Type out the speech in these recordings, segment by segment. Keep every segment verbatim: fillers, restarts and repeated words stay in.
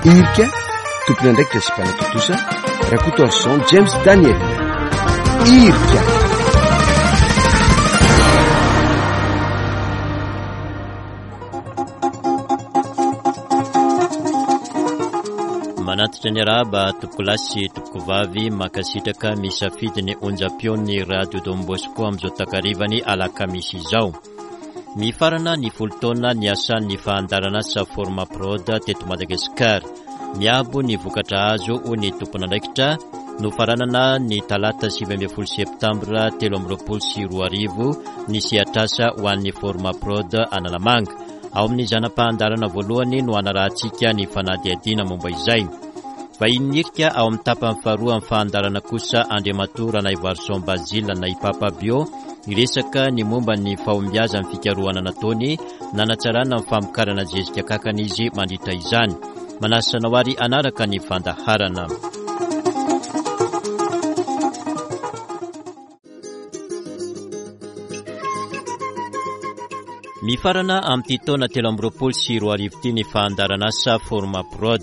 Irika, tompon'andraikitra sy mpanatontosa Rakotoarison James Daniel. Irika. Manatitra ny arahaba tompokolahy sy tompokovavy, mankasitraka misafidy ny onjam-peon'ny Radio Don Bosco amin'izao takarivany alakamisy izao. Mifarana ny folo taona niasan'ny fandaharanasa Formaprod teto Madagasikara. Miabo ny vokatra azo ho ny tompon'andraikitra. Nofaranana ny talata sivy ambin'ny folo septambra telo amby roapolo sy roa arivo ny sehatrasa ho an'ny Formaprod Analamanga. Ao amin'ny zana-pahandarana voalohany no anarahantsika ny fanadihadiana momba izay. Vahiny irika ao amin'ny tapany faharoa amin'ny fahandarana kosa Andriamatoa Ranaivoarison Basile na i Papa Bio niresaka ny momba ny fahombiazan'ny fikarohana nataony nanatsarana ny famokarana zezika kankana izy mandritra izany. Manasa anao ary hanaraka ny fandaharana. Mifarana amin'ity taona telo amby roapolo sy roa arivo ity ny fandaharanasa Formaprod.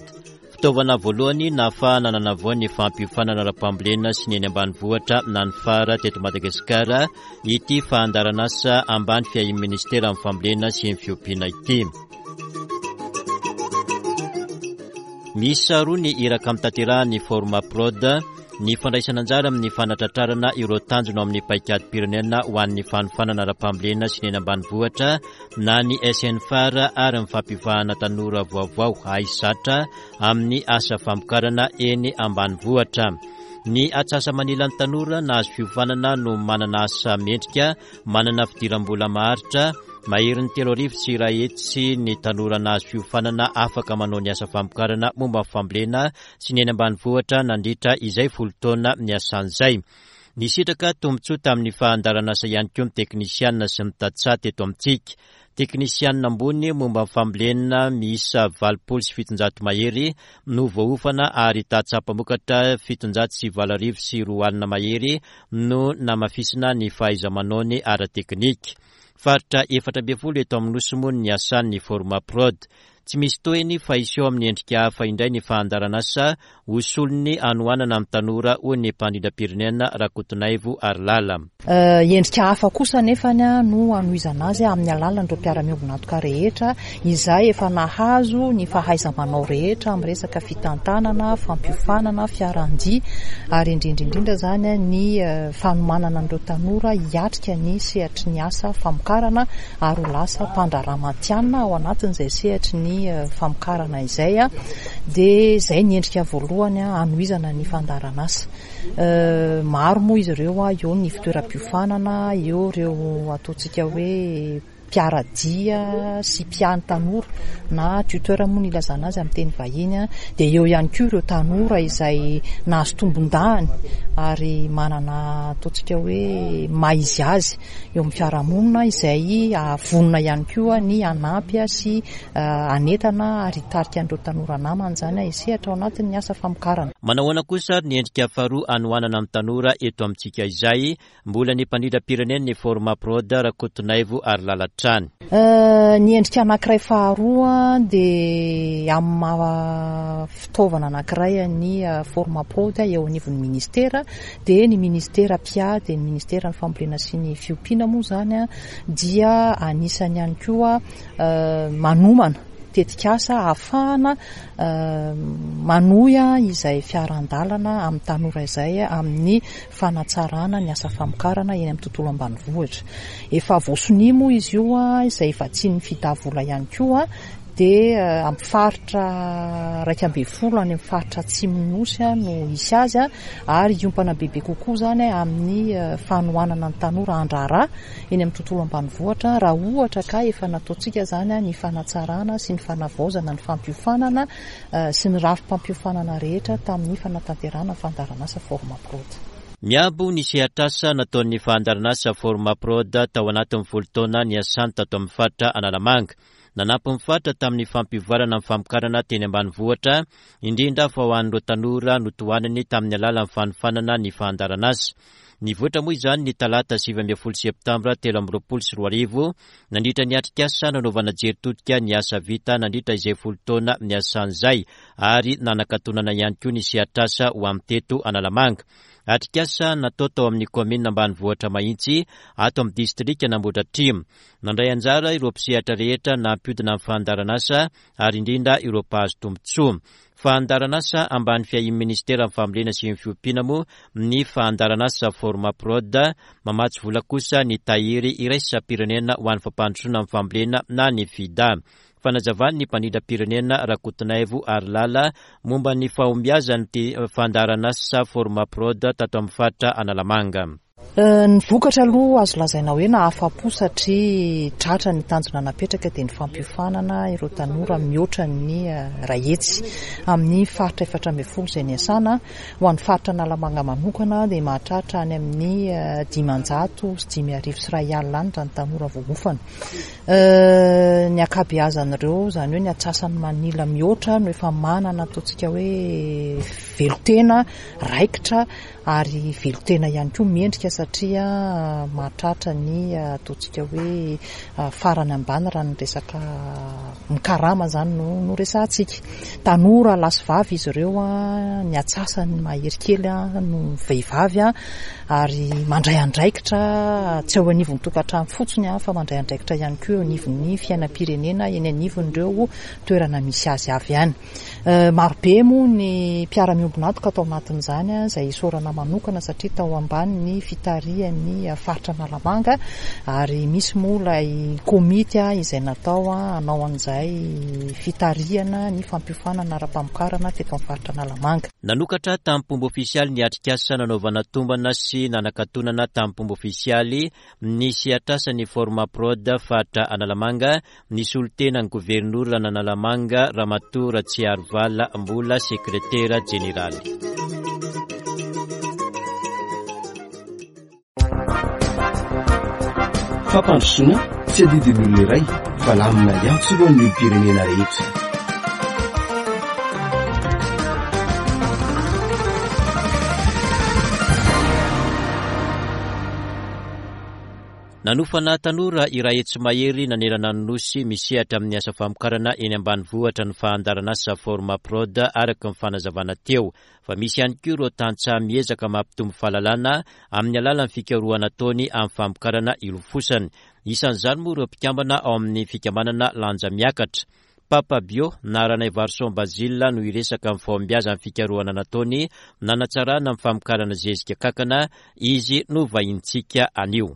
Fitaovana voalohany nahafahana nanavoa ny fampiofanana ara-pambolena sy ny eny ambanivohitra na ny fara teto Madagasikara ity fandaharanasa ambany fiahian'ny ministeran'ny fambolena sy ny fiompiana ity. Miisa roa ny iraka mitanterahan'ny Formaprod, ny fandraisana anjara amin'ny fanatratrarana ireo tanjona ao amin'ny paikadym-pirenena ho an'ny fanofanana ara-pambolena sy ny eny ambanivohitra na ny S N F A R ary ny fampivahana tanora vaovao haisatra amin'ny asa famokarana eny ambanivohitra. Ny atsasa-manilan'ny tanora nahazo fiofanana no manana asa mendrika, manana fidiram-bola maharitra, maherin'ny telo arivo sy iray hetsy ny tanora nahazo fiofanana afaka manao ny asa famokarana momba ny fambolena sy ny eny ambanivohitra nandritra izay folo taona niasan'izay. Nisitraka tombontsoa tamin'ny fandaharanasa ihany koa ny teknisianina sy ny tantsaha teto amintsika. Teknisianina ambony momba ny fambolena miisa valopolo sy fitonjato mahery no voaofana ary tantsaha mpamokatra fitonjato sy valo arivo sy roa alina mahery no namafisina ny fahaiza-manaony ara-teknika. Faritra efatra ambin'ny folo eto amin'ny Nosy moa ny asan'ny Formaprod. Tsy misy tohiny fa hiseho amin'ny endrika hafa indray ny fandaharanasa ho solon'ny hanoanana amin'ny tanora hoy ny mpandrindram-pirenena Rakotonaivo Harilala. Endrika hafa kosa nefa no hanohizana azy amin'ny alalan'ireo mpiara-miombon'antoka rehetra izay efa nahazo ny fahaiza-manao rehetra amin'ny resaka fitantanana, fampiofanana, fiaran-dia ary indrindra indrindra izany ny fanomanana an'ireo tanora hiatrika ny sehatry ny asa famokarana ary ho lasa mpandraharaha matihanina ao anatin'izay sehatry ny famokarana izay. Dia izay ny endrika voalohany hanohizana ny fandaharanasa. Maro moa izy ireo, eo ny fitoeram-piofanana, eo ireo ataontsika hoe mpiara-dia sy mpiany tanora na tuteur moa ny ilazana azy amin'ny teny vahiny, dia eo ihany koa ireo tanora izay nahazo tombon-dahiny ary manana ataontsika hoe maha izy azy eo amin'ny fiarahamonina izay vonona ihany koa ny hanampy sy hanentana ary hitarika an'ireo tanora namany izany hisehatra ao anatin'ny asa famokarana. Manahoana kosa ary ny endrika faharoa hanohanana ny tanora eto amintsika izay mbola ny mpandrindram-pirenena ny Formaprod Rakotonaivo Harilala hatrany. Ny endrika anankiray faharoa dia amin'ny maha fitaovana anankiray ny Formaprod eo anivon'ny ministera, dia ny ministera P I A, dia ny ministeran'ny fambolena sy ny fiompiana moa izany dia anisany ihany koa manomana tetikasa ahafahana manohy izay fiaran-dalana amin'ny tanora izay amin'ny fanatsarana ny asa famokarana eny amin'ny tontolo ambanivohitra. Efa voasonia moa izy io izay vatsian'ny fitavola ihany koa, dia amin'ny faritra iraika ambin'ny folo any amin'ny faritra atsimon'ny Nosy no hisy azy, ary hiompana bebe kokoa izany amin'ny fanohanana ny tanora handraharaha eny amin'ny tontolo ambanivohitra raha ohatra ka efa nataontsika izany ny fanatsarana sy ny fanavaozana ny fampiofanana sy ny rafi-pampiofanana rehetra tamin'ny fanatanterahana fandaharanasa Formaprod. Miabo ny sehatrasa nataon'ny fandaharanasa Formaprod tao anatin'ny folo taona niasany tato amin'ny faritra Analamanga. Nanampy ny faritra tamin'ny fampivoarana ny famokarana teny ambanivohitra, indrindra fa ho an'ireo tanora notohanany tamin'ny alalan'ny fanofanana ny fandaharanasa. Nivoitra moa izany ny talata sivy ambin'ny folo septambra telo amby roapolo sy roa arivo nandritra ny atrikasa nanaovana jery todika ny asa vita nandritra izay folo taona niasan'izay ary nanakatonana ihany koa ny sehatrasa ho amin'ny teto Analamanga. Atrikasa natao tao amin'ny kaominina ambanivohitra Mahitsy ato amin'ny distrika Nambodratrimo. Nandray anjara ireo mpisehatra rehetra nampiodina ny fandaharanasa ary indrindra ireo mpahazo tombontsoa. Fandaharanasa ambany fiahian'ny ministeran'ny fambolena sy ny fiompiana moa ny fandaharanasa Formaprod, mamatsy vola kosa ny tahiry iraisam-pirenena ho an'ny fampandrosoana ny fambolena na ny FIDA. Fanazavan'ny mpandrindram-pirenena Rakotonaivo Arilala momba ny fahombiazan'ity fandaharanasa Formaprod tato amin'ny faritra Analamanga. Ny vokatra aloha azo lazaina hoe nahafa-po satria tratra ny tanjona napetraka dia ny fampiofanana ireo tanora mihoatra ny iray hetsy amin'ny faritra efatra ambin'ny folo izay niasana. Ho an'ny faritra Analamanga manokana dia mahatratra any amin'ny dimanjato sy dimy arivo sy iray alina any raha ny tanora voaofana. Ny ankabeazan'ireo, izany hoe ny antsasany manila mihoatra no efa manana ataontsika hoe velon-tena raikitra ary velon-tena ihany koa mendrika satria mahatratra ny ataontsika hoe farany ambany raha ny resaka mikarama izany no, no resahantsika. Tanora lahy sy vavy izy ireo, ny antsasany mahery kely no vehivavy ary mandray andraikitra tsy eo anivon'ny tokantrano fotsiny fa mandray andraikitra ihany koa eo anivon'ny fiainam-pirenena eny anivon'ireo toerana misy azy avy any. Marobe moa ny mpiara-miombon'antoka tao anatin'izany izay isaorana manokana satria tao ambany ny fitarihan'ny faritra Analamanga ary misy moa ilay komity izay natao hanao an'izay fitarihana ny fampiofanana ara-pamokarana teto amin'ny faritra Analamanga. Nanokatra tamin'ny fomba ofisialy ny atrikasa nanaovana tombana sy nanakatonana tamin'ny fomba ofisialy ny sehatrasan'ny Formaprod faritra Analamanga ny solotenan'ny governora Analamanga Ramatoa Ratsiarivala Mbola sekretera jeneraly. Fampandrosoana tsy adidin'ny olona iray fa lamina iantsorohan'ny olom-pirenena rehetra. Nanofana tanora iray hetsy mahery nanerana ny nosy misehatra amin'ny asa famokarana eny ambanivohitra ny fandaharanasa Formaprod araka ny fanazavana teo. Fa misy ihany koa ireo tantsaha miezaka mampitombo fahalalana amin'ny alalan'ny fikarohana ataony amin'ny famokarana ilofosany. Isan'izany moa ireo mpikambana ao amin'ny fikambanana Lanja Miakatra. Papa Bio na Ranaivarison Basile no hiresaka amin'ny fahombiazan'ny fikarohana nataony nanatsarana amin'ny famokarana zezika kankana, izy no vahintsika anio.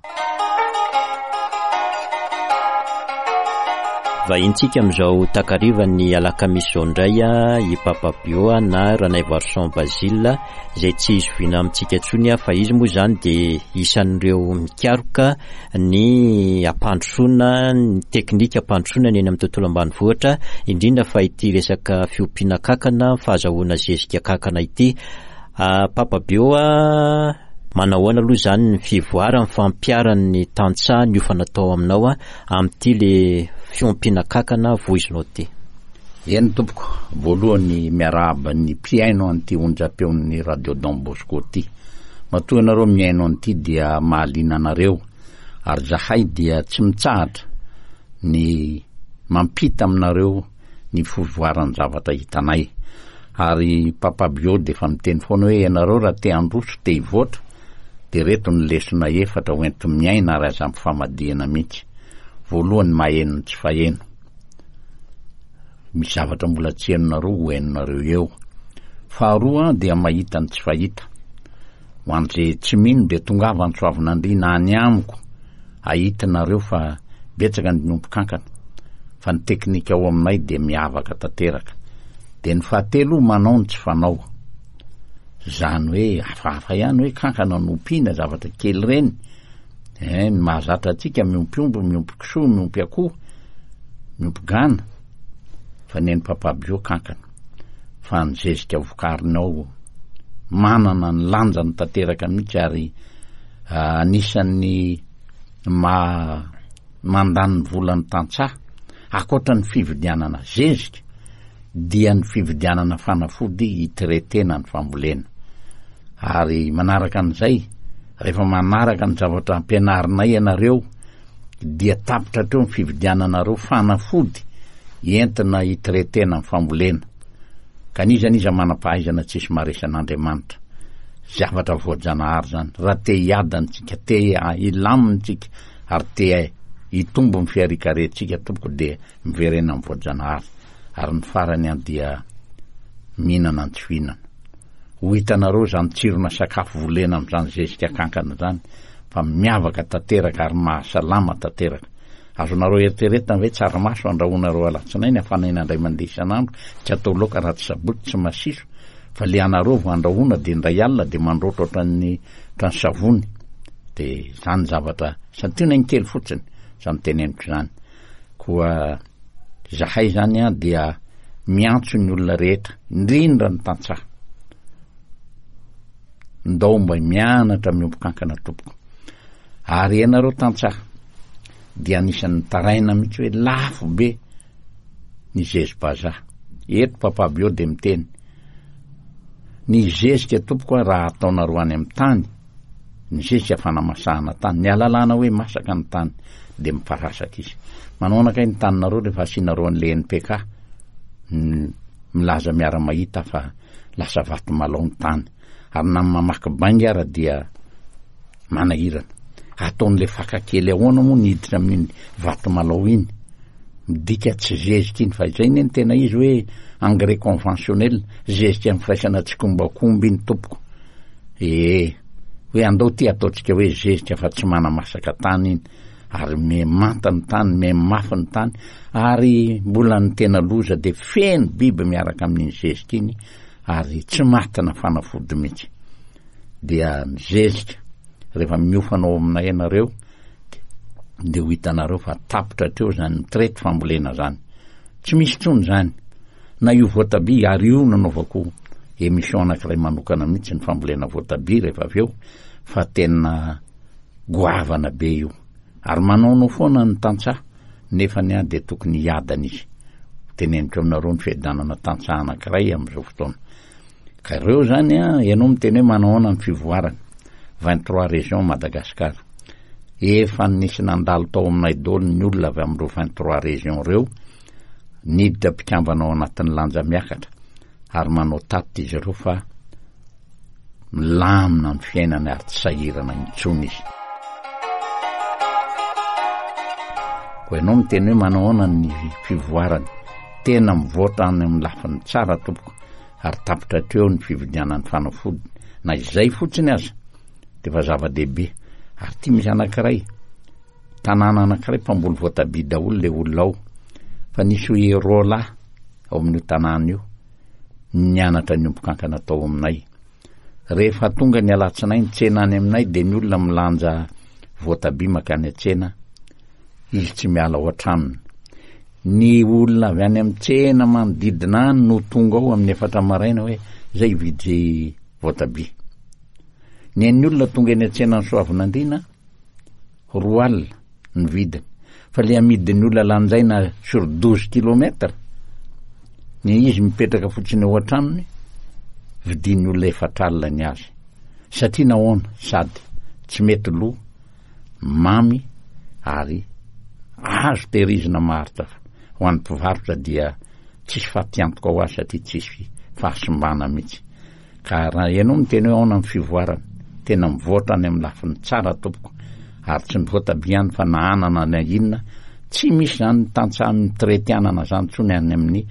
Vahintsika amin'izao takarivan'ny alakamisy izao indray i Papa Bio na Ranaivarison Basile izay tsy izoviana amintsika intsony fa izy moa izany dia isan'ireo mikaroka ny ampandrosoana, ny teknika ampandrosoana ny eny amin'ny tontolo ambanivohitra, indrindra fa ity resaka fiompiana kankana, fahazahoana zezika kankana ity. Papa Bio, manahoana aloha izany ny fivoaran'ny fampiharan'ny tantsaha niofana tao aminao amin'ity le fiompiana kankana voizinao ity? Eny tompoko, voalohany miarahaba ny mpihaino an'ity onjam-peon'ny Radio Don Bosco ity. Matoa ianareo mihaino an'ity dia mahaliana anareo ary zahay dia tsy mitsahatra ny mampita aminareo ny fivoaran'ny zavatra hitanay. Ary Papa Bio dia efa miteny foana hoe ianareo raha te handroso, te hivoatra, dia reto ny lesona efatra ho enti-miaina ary aza ampifamadihana mihitsy. Voalohany, maheno ny tsy faheno. Misy zavatra mbola tsy henonareo ho henonareo eo. Faharoa dia mahita ny tsy fahita. Ho an'izay tsy mino dia tongava Antsoavinandriana any amiko ahitinareo fa betsaka ny miompy kankana fa ny teknika ao aminay dia miavaka tanteraka. Dia ny fahatelo manao ny tsy fanao. Izany hoe hafahafa ihany hoe kankana no ompiana zavatra kely ireny. Eh, ny mahazatra antsika miompy omby, miompy kisoa, miompy akoho, miompy gana, fa ny an'i Papa Bio kankana. Fa ny zezika vokariny ao manana ny lanjany tanteraka mihitsy ary anisan'ny ma mandany ny volan'ny tantsaha ankoatra ny fividianana zezika dia ny fividianana fanafody hitretena ny fambolena. Ary manaraka an'izay Rehefa manaraka ny zavatra ampianarinay ianareo dia tapitra hatreo ny fividiananareo fanafody entina hitretena ny fambolena. Ka n'iza n'iza manam-pahaizana tsisy maharesy an'Andriamanitra. Zavatra voajanahary zany. Raha te hiadana tsika, te hilamina tsika ary te hitombo ny fiharikarentsika tompoko dia miverena amin'ny voajanahary. Ary ny farany an dia mihinana ny tsy fihinana. Ho hitanareo zany tsirona sakafo volena amin'izany zezika kankana zany fa miavaka tanteraka ary mahasalama tanteraka. Azonareo eritreretina ve tsaramaso andrahoanareo alatsinainy afanaina indray mandeha isan'andro, tsy atao laoka raha tsy sabotsy, tsy masiso, fa le anareo vao andrahoana de indray alina de mandroatra ohatran'ny ohatran'ny savony. De zany zavatra santionany kely fotsiny zany teneniko zany. Koa zahay zany an dia miantso ny olona rehetra, indrindra ny tantsaha. Ndao mba mianatra miompy kankana tompoko. Ary ianareo tantsaha dia anisan'ny taraina mihitsy hoe lafo be ny zezi-bazaha. Eto Papa Bio dia miteny ny zezika tompoko raha ataonareo any amin'ny tany, ny zezika fanamasahana tany, ny alalàna hoe masaka ny tany dia miparasaka izy. Manao anakay ny taninareo rehefa asianareo an'le N P K, milaza miara-mahita fa lasa vato malao ny tany. Ary na mamaky bainga ara dia manahirana. Ataon'le faka kely ahoana moa ny hiditra amin'iny vato malao iny? Midika tsy zezika iny, fa izay ny tena izy hoe engrais conventionnel, zezika amin'ny firaisana tsikombakomba iny tompoko. Ee, hoe andao ty ataontsika hoe zezika fa tsy manamasaka tany iny, ary mimanta ny tany, mimafy ny tany, ary mbola ny tena loza dia feno biby miaraka amin'iny zezika iny, ary tsy matina fanafody mihitsy. Dia ny zezika rehefa miofana ao aminay ianareo dia ho hitanareo fa tapitra hatreo zany mitraite fambolena zany, tsy misy intsony zany. Na io voatabia, ary io nanaovako émission anankiray manokana mihitsy ny fambolena voatabia rehefa avy eo, fa tena goavana be io. Ary manaonao foana ny tantsaha, nefa ny ahy dia tokony hiadana izy. Teneniko aminareo ny fiadanana tantsaha anankiray amin'izao fotoana. Ka ireo zany a, ianao miteny hoe manao ahoana ny fivoarana. vingt-trois régions Madagascar. Efa nisy nandalo tao aminay daholo ny olona avy amin'ireo vingt-trois régions ireo, niditra mpikambana ao anatin'ny lanja miakatra, ary manao tatitra izy ireo fa milamina ny fiainany ary tsy sahirana intsony izy. Koa ianao miteny hoe manao ahoana ny fivoarana, tena mivoatra any amin'ny lafiny tsara tompoko, ary tapitra hatreo ny fividianana ny fanafody, na izay fotsiny aza dia efa zava-dehibe. Ary ty misy anankiray, tanàna anankiray mpamboly voatabia daholo le olona ao, fa nisy hoe roa lahy ao amin'io tanàna io nianatra ny omby kankana tao aminay. Rehefa tonga ny alatsinainy tsena any aminay dia ny olona milanja voatabia makany an-tsena, izy tsy miala ao an-tranony. Ny olona avy any amin'ny tsena manodidina any no tonga ao amin'ny efatra maraina hoe zay hividy voatabia. Ny an'ny olona tonga eny an-tsena ny Soavinandriana roa alina ny vidiny, fa le amidin'ny olona lanjaina sur douze kilomètres, ny izy mipetraka fotsiny ao an-tranony, vidin'ny olona efatra alina ny azy. Satria nahoana? Sady tsy mety lo, mamy ary azo tehirizina maharitra. Ho an'ny mpivarotra dia tsisy fatiantoka ho azy satria tsisy fahasimbana mihitsy. Ka raha ianao miteny hoe ahoana ny fivoarana, tena mivoatra any amin'ny lafiny tsara tompoko, ary tsy ny voatabia ihany fa na anana na inona, tsy misy zany tantsaha mitraity anana zany intsony any amin'ny,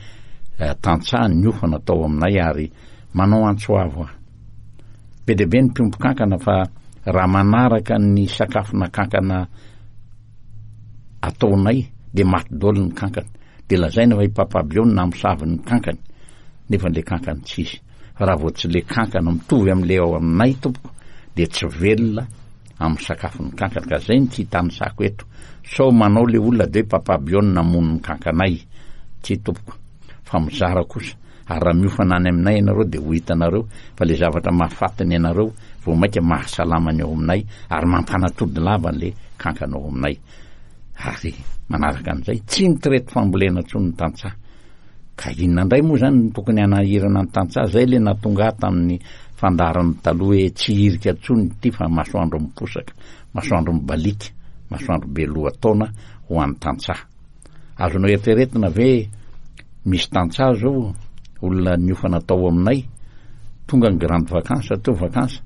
eh, tantsaha niofana tao aminay. Ary manao antso avo aho. Be dia be ny mpiompy kankana, fa raha manaraka ny sakafona kankana ataonay dia maty daholo ny kankana. Dia lazaina fa i Papa Bio no namosavy ny kankany, nefa le kankany tsisy. Fa raha vao tsy le kankana mitovy amin'le ao aminay tompoko dia tsy velona amin'ny sakafon'ny kankana. Ka zay no tsy hitanisako eto, sao manao le olona dia hoe Papa Bio no namono ny kankanay. Tsy tompoko, fa mizara kosa. Ary raha miofana any aminay ianareo dia ho hitanareo fa le zavatra mahafaty ny anareo vao mainka mahasalama ny ao aminay, ary mampanatody lava le kankana ao aminay. Ary manaraka an'izay, tsy mitraite fambolena intsony ny tantsaha. Ka inona indray moa zany no tokony hanahirana ny tantsaha? Zay le nahatonga ahy tamin'ny fandaharana taloha hoe tsy hirika intsony ity fa masoandro miposaka, masoandro mibaliaka, masoandro be lohataona ho an'ny tantsaha. Azonao eritreretina ve misy tantsaha zao olona niofana tao aminay, tonga ny grande vacance teo vacance,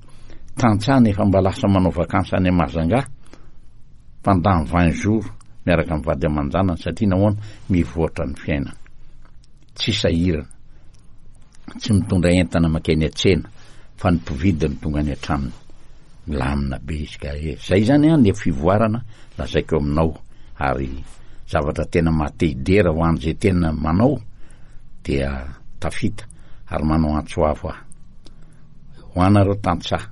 tantsaha nefa mba lasa manao vacance any Mahajanga pendant vingt jours miaraka amin'ny vady aman-janany satria nahoana? Mivoatra ny fiainana, tsy sahirana, tsy mitondra entana mankeny an-tsena fa ny mpividy no tonga any an-tranony, milamina be izy ka e, zay zany an le fivoarana lazaiko aminao ary zavatra tena maha-te hidera ho an'izay tena manao dia tafita ary manao antso avo aho ho anareo tantsaha,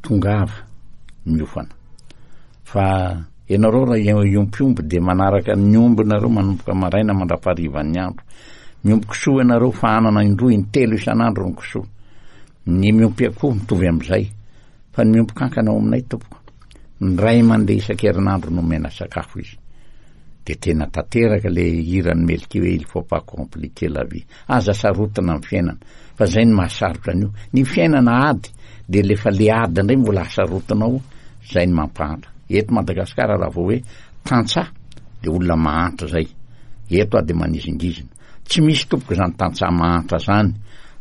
tongava miofana fa ianareo raha hiompy omby dia manaraka ny omby nareo manomboka maraina mandra-paharivan'ny andro, miompy kisoa ianareo fa anana indroa intelo isan'andro ny kisoa, ny miompy akoho mitovy amin'izay fa ny miompy kankana ao aminay tompoko indray mandeha isan-kerinandro no omena sakafo izy de tena tanteraka le hiran'ny Melky hoe il faut pas compliquer la vie, aza sarotina amin'ny fiainana fa zay no mahasarotra an'io, ny fiainana ady de lefa le ady indray mbola hasarotinao zay no mampahantra. Eto Madagasikara raha vao hoe tantsaha de olona mahantra zay, eto aho de manizingizina, tsy misy tompoko zany tantsaha mahantra zany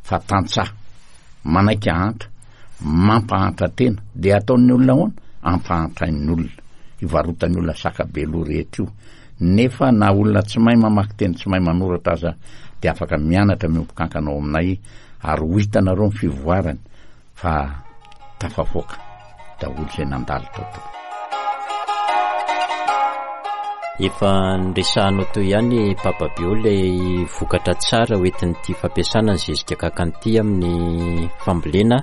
fa tantsaha manaiky ahantra, mampahantra tena de ataon'ny olona ahoana? Ampahantrain'ny olona, ivarotan'ny olona saka be loha rehetra io, nefa na olona tsy mahay mamaky teny tsy mahay manoratra aza de afaka mianatra miompy kankana ao aminay ary ho hitanareo ny fivoarany fa tafavoaka daholo izay nandalo tao tompoko. Efa niresahanao teo ihany Papa Bio ilay vokatra tsara hoentin'ity fampiasana ny zezika kankana ity amin'ny fambolena.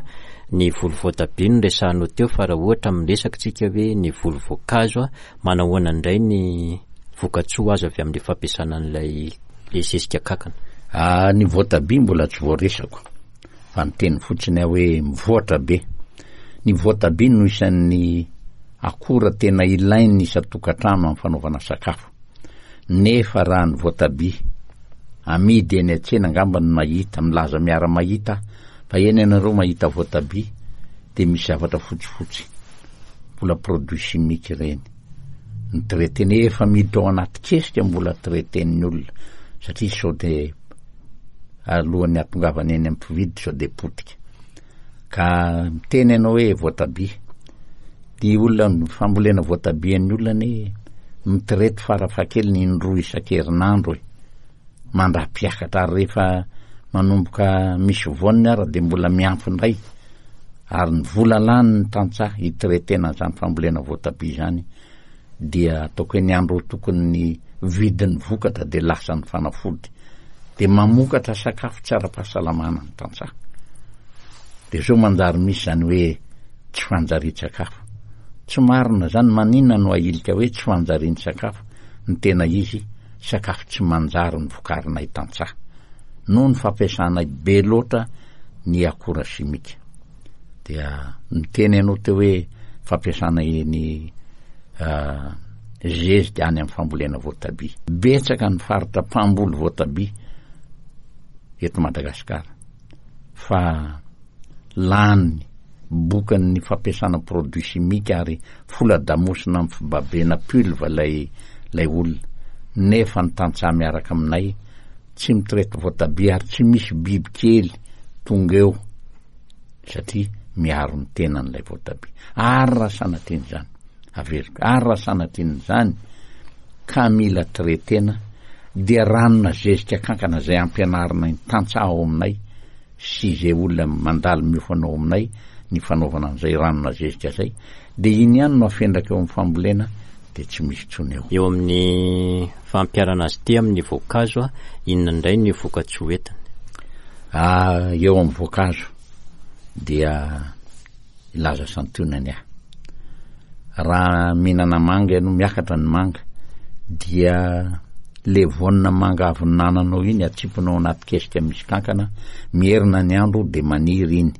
Ny voly voatabia no resahanao teo fa raha ohatra miresaka tsika hoe ny voly voankazo, manahoana indray ny vokatsoa azo avy amin'ny fampiasana an'ilay le zezika kankana? Ah, ny voatabia mbola tsy voaresako fa niteny fotsiny aho hoe mivoatra be. Ny voatabia no isan'ny akora tena ilain'ny isan-tokantrano amin'ny fanaovana sakafo. Nefa raha ny voatabia amidy eny an-tsena angamba no mahita, milaza miara-mahita fa eny ianareo mahita voatabia de misy zavatra fotsifotsy mbola produit chimique ireny. Ny traitena efa miditra ao anaty kesika mbola traiten'ny olona satria sao de alohan'ny hahatongavana eny amin'ny mpividy sao de potika. Ka miteny ianao hoe voatabia, ny olona ny fambolena voatabian'ny olona anie mitraity farafahakeliny indroa isan-kerinandro e, mandra-piakatra ary rehefa manomboka misy voaniny ara de mbola miampy indray ary ny vola lany ny tantsaha hitraitena an'izany fambolena voatabia izany dia ataoko hoe ny andro tokony ny vidin'ny vokatra de lasa ny fanafody de mamokatra sakafo tsy ara-pahasalamana ny tantsaha. De zao manjary misy zany hoe tsy fanjarian-tsakafo. Tsy marina zany, maninona no ahilika hoe tsy fanjarian-tsakafo? Ny tena izy sakafo tsy manjary ny vokarinay tantsaha noho ny fampiasanay be loatra ny akora simika. Dia miteny ianao teo hoe fampiasana ny zezika any amin'ny fambolena voatabia. Betsaka ny faritra mpamboly voatabia eto Madagasikara fa lany bokan'ny fampiasana produit chimique ary fola-damosina amin'ny fibabena pulve ilay ilay olona, nefa ny tantsaha miaraka aminay tsy mitraity voatabia ary tsy misy biby kely tonga eo satria miaro ny tenan'ilay voatabia. Ary raha sanatriana izany, averiko, ary raha sanatriana izany ka mila traitena dia ranona zezika kankana izay ampianarina ny tantsaha ao aminay sy izay olona mandalo miofana ao aminay ny fanaovana an'izay ranona zezika izay, dia iny ihany no afendraka eo amin'ny fambolena dia tsy misy intsony eo. Eo amin'ny fampiharana azy ity amin'ny voankazo, inona indray ny vokatsoa entiny? Ah, eo amin'ny voankazo dia hilaza santionany aho. Raha mihinana manga ianao, miakatra ny manga, dia le voanina manga avy nananao iny atsipinao anaty kesika misy kankana, mierina ny andro dia maniry iny.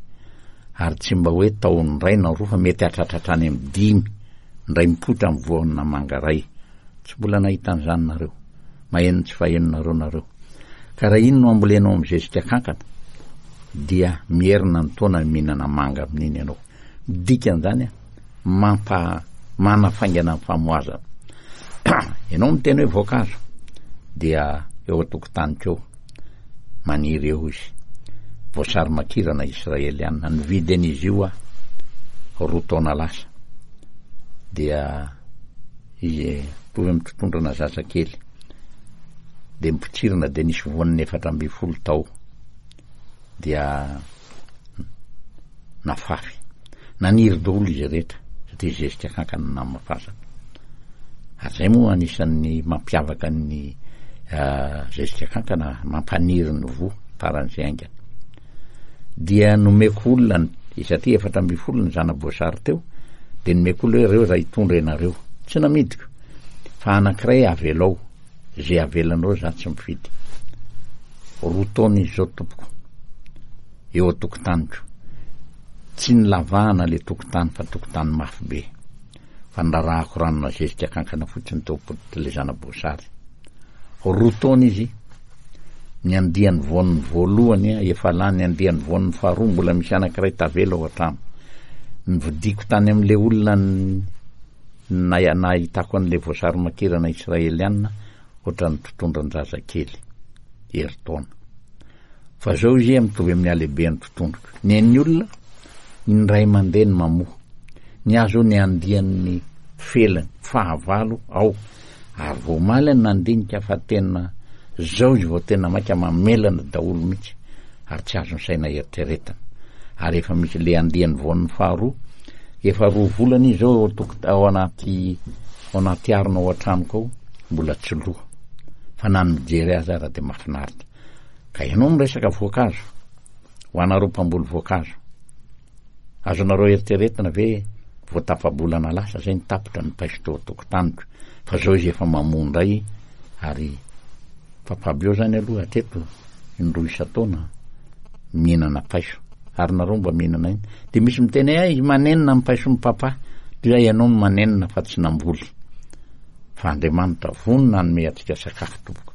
Ary tsy mba hoe tahony iray na roa fa mety hatratratra any amin'ny dimy indray mipoitra amin'ny voanina manga iray. Tsy mbola nahita an'izany nareo. Maheno tsy fahenonareo nareo. Ka raha iny no ambolenao amin'ny zezika kankana dia mierina ny taona mihinana manga amin'iny ianao. Dikan'izany mampa manafaingana ny famoazana. Ianao miteny hoe voankazo dia eo an-tokotaniko eo maniry eo izy. Voasary makirana israelianina, nividy an'izy io aho roa taona lasa. Dia izy mitovy amin'ny totondrana zazakely. Dia mipotsirana dia nisy voaniny efatra ambin'ny folo tao. Dia nafafy. Naniry daholo izy rehetra satria zezika kankana namafasana. Ary zay moa anisan'ny mampiavaka ny zezika kankana, mampaniry ny voa faran'izay haingana. Dia nomeko olona ny, satria efatra ambin'ny folo ny zana-boasary teo, dia nomeko olona hoe reo raha hitondra ianareo. Tsy namidiko fa anankiray avelao, zay avelanareo za tsy mifidy. Roa taona izy zao tompoko eo an-tokotaniko. Tsy nilavahana le tokotany fa tokotany mafy be. Fa nirarahako ranona zezika kankana fotsiny teo am-pototry le zana-boasary. Roa taona izy, ny andiany voaniny voalohany efa lany, ny andiany voaniny faharoa mbola misy anankiray tavela ao an-trano. Nividiako tany amin'le olona na-, nahitako an'le voasary makirana israelianina ohatran'ny totondran-jazakely herintaona. Fa zao izy mitovy amin'ny halehiben'ny totondroko. Ny an'ny olona indray mandeha ny mamoa. Ny azo ny andian'ny felany fahavalo ao. Ary vao omaly ny nandinika fa tena zao izy vao tena maika mamelana daholo mihitsy ary tsy azon'ny saina eritreretana. Ary efa misy le andiany voan'ny faharoa, efa roa volana izy zao ao toko-, ao anaty, ao anaty arina ao an-tranoko ao, mbola tsy loha. Fa na ny mijery azy ara dia mahafinaritra. Ka ianao miresaka voankazo, ho anareo mpamboly voankazo, azonareo eritreretina ve vao tapa-bolana lasa zay ny tapitra ny paiso teo an-tokotaniko, fa zao izy efa mamoa indray. Ary Papa Bio zany aloha hatreto indroa isan-taona mihinana paiso, ary nareo mba mihinana iny. Dia misy miteny hoe, izy manenina ny paison'ny papa, dia ianao no manenina fa tsy namboly. Fa Andriamanitra vonona hanome antsika sakafo tompoko.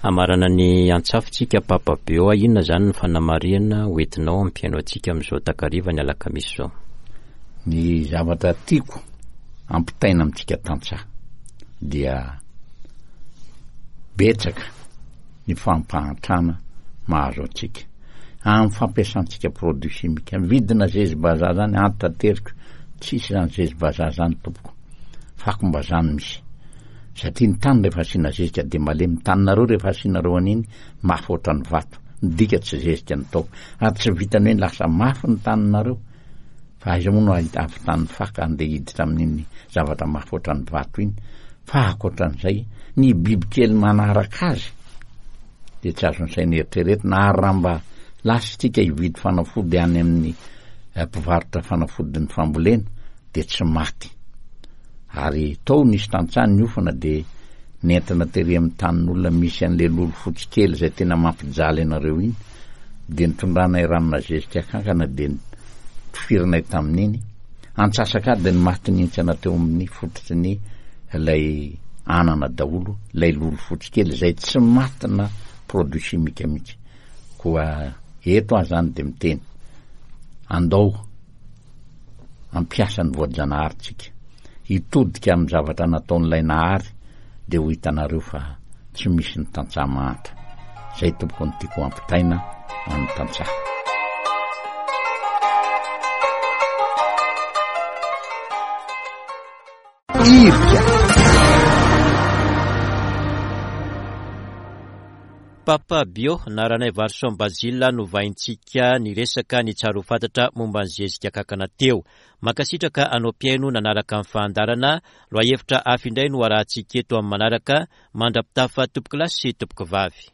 Amarana ny antsafintsika Papa Bio, inona zany ny fanamarihana hoentinao hampihaino antsika amin'izao takariva ny alakamisy izao? Ny zavatra tiako ampitaina amintsika tantsaha dia betsaka ny fampahantrana mahazo antsika amin'ny fampiasantsika produit chimique. Vidina zezi-bazaha zany antateriko, tsisy zany zezi-bazaha zany tompoko, fakom-bazaha no misy. Satria ny tany rehefa asiana zezika dia malemy, ny taninareo rehefa asianareo an'iny mafy ohatran'ny vato, midika tsy zezika ny tao. Ary tsy vitany hoe lasa mafy ny taninareo, fa aiza moa no ahita avy tany faka andeha hiditra amin'iny zavatra mafy ohatran'ny vato iny. Fa ankoatran'izay, ny bibikely manaraka azy dia tsy azon'ny saina eritreretina. Ary raha mba lasa isika hividy fanafody any amin'ny, eh, mpivarotra fanafodin'ny fambolena dia tsy maty. Ary tao nisy tantsaha niofana dia nentina tery amin'ny tanin'olona misy an'ilay lolo fotsy kely izay tena mampijaly anareo iny, dia nitondranay ranona zezika kankana dia nifirinay tamin'iny. Antsasak'ady ny maty nihintsana teo amin'ny fototry ny ilay anana daholo, ilay lolo fotsy kely izay tsy matina produit chimique mihitsy. Koa eto aho zany dia miteny, andao ampiasa ny voajanahary-tsika, hitodika amin'ny zavatra nataon'ilay nahary, dia ho hitanareo fa tsy misy ny tantsaha mahantra. Zay tompoko no tiako ampitaina amin'ny tantsaha. Irika. Papa Bio na Ranaivarison Basile no vahintsika niresaka ny tsara ho fantatra momba ny zezika kankana teo. Mankasitraka anao mpihaino nanaraka ny fandaharana. Lohahevitra hafa indray no arahantsika eto amin'ny manaraka. Mandra-pitafa tompoko lahy sy tompoko vavy.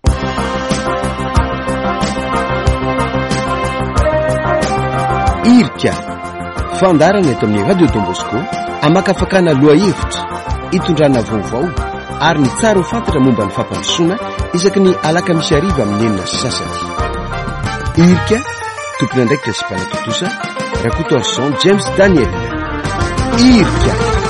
Irika, fandaharana eto amin'ny Radio Don Bosco, amakafakana lohahevitra, itondrana vaovao ary ny tsara ho fantatra momba ny fampandrosoana isaky ny alakamisy hariva amin'ny enina sy sasany. Irika, tompon'andraikitra sy mpanatontosa, Rakotoarison James Daniel. Irika.